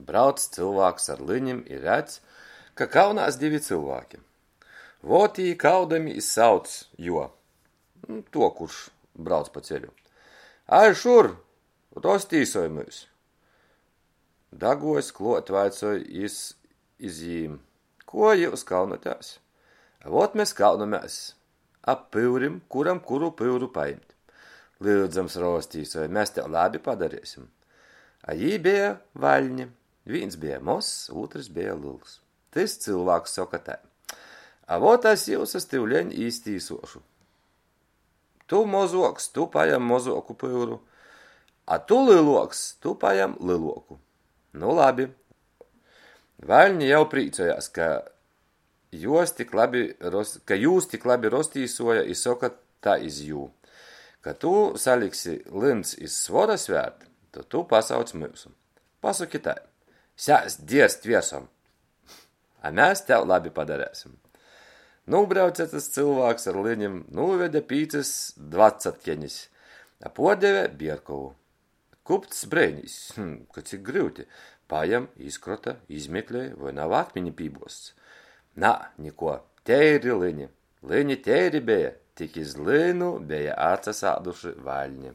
Brauc cylvāks ar lynim i redz, ka kaunās divi cylvāki. Vot jī kaudamīs sauc juo, tuo, kurš brauc pa ceļu: Áj šur, roztīsoj myus! Daguojs kluot, vaicoj jis iz jīm: Kuo jius kaunatēs? A vot mes kaunamēs ap pyurim, kuram kuru pyuru pajimt. Lyudzams, roztīsoj, mes tev labi padareisim. A jī beja vaļni. Vīns beja mozs, ūtrys beja lyls. Tys cylvāks soka tai: A vot es jiusus tiuleņ iztīsuošu. Tu mozuoks, tu pajam mozuoku pyuru, a tu lyluoks, tu pajam lyluoku. Nu labi. Vaļni jau prīcojās, ka juos tik labi, ka jūs tik labi roztīsuoja i soka tai iz jū: Ka tu saliksi lyns iz svora svērt, to tu pasauc myusu. Pasoki tai: Sēst dierst viersom! A mes tev labi padareisim. Nūbrauce tys cylvāks ar lynim, nūvede pīcys dvacatkenis, a puordeve bierkovu. Kupcs breinīs, ka cik gryuti. Pajam, izkrota, izmeklej, voi nav akmini pībuozts. Nā, nikuo, teiri lyni. Lyni teiri beja, tik iz lynu beja atsasāduši vaļni.